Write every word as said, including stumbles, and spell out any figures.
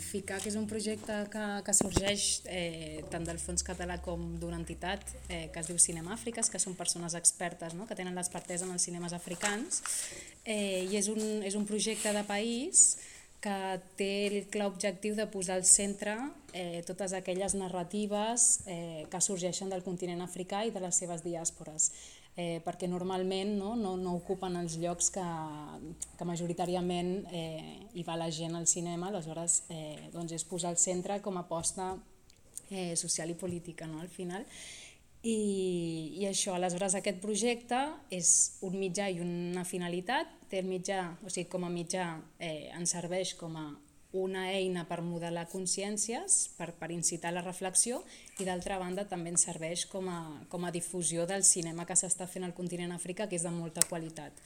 FICA, que és un projecte que, que sorgeix eh, tant del Fons Català com d'una entitat eh, que es diu Cinema Àfriques, que són persones expertes, no?, que tenen l'expertesa en els cinemes africans, eh, i és un, és un projecte de país que té el clar objectiu de posar al centre eh, totes aquelles narratives eh, que sorgeixen del continent africà i de les seves diàspores, eh, perquè normalment no, no, no ocupen els llocs que, que majoritàriament eh, hi va la gent al cinema, aleshores eh, doncs és posar al centre com a aposta eh, social i política, no, al final. I, i això, aleshores aquest projecte és un mitjà i una finalitat, té el mitjà, o sigui, com a mitjà eh, ens serveix com a una eina per modelar consciències, per, per incitar la reflexió, i d'altra banda també ens serveix com a, com a difusió del cinema que s'està fent al continent africà, que és de molta qualitat.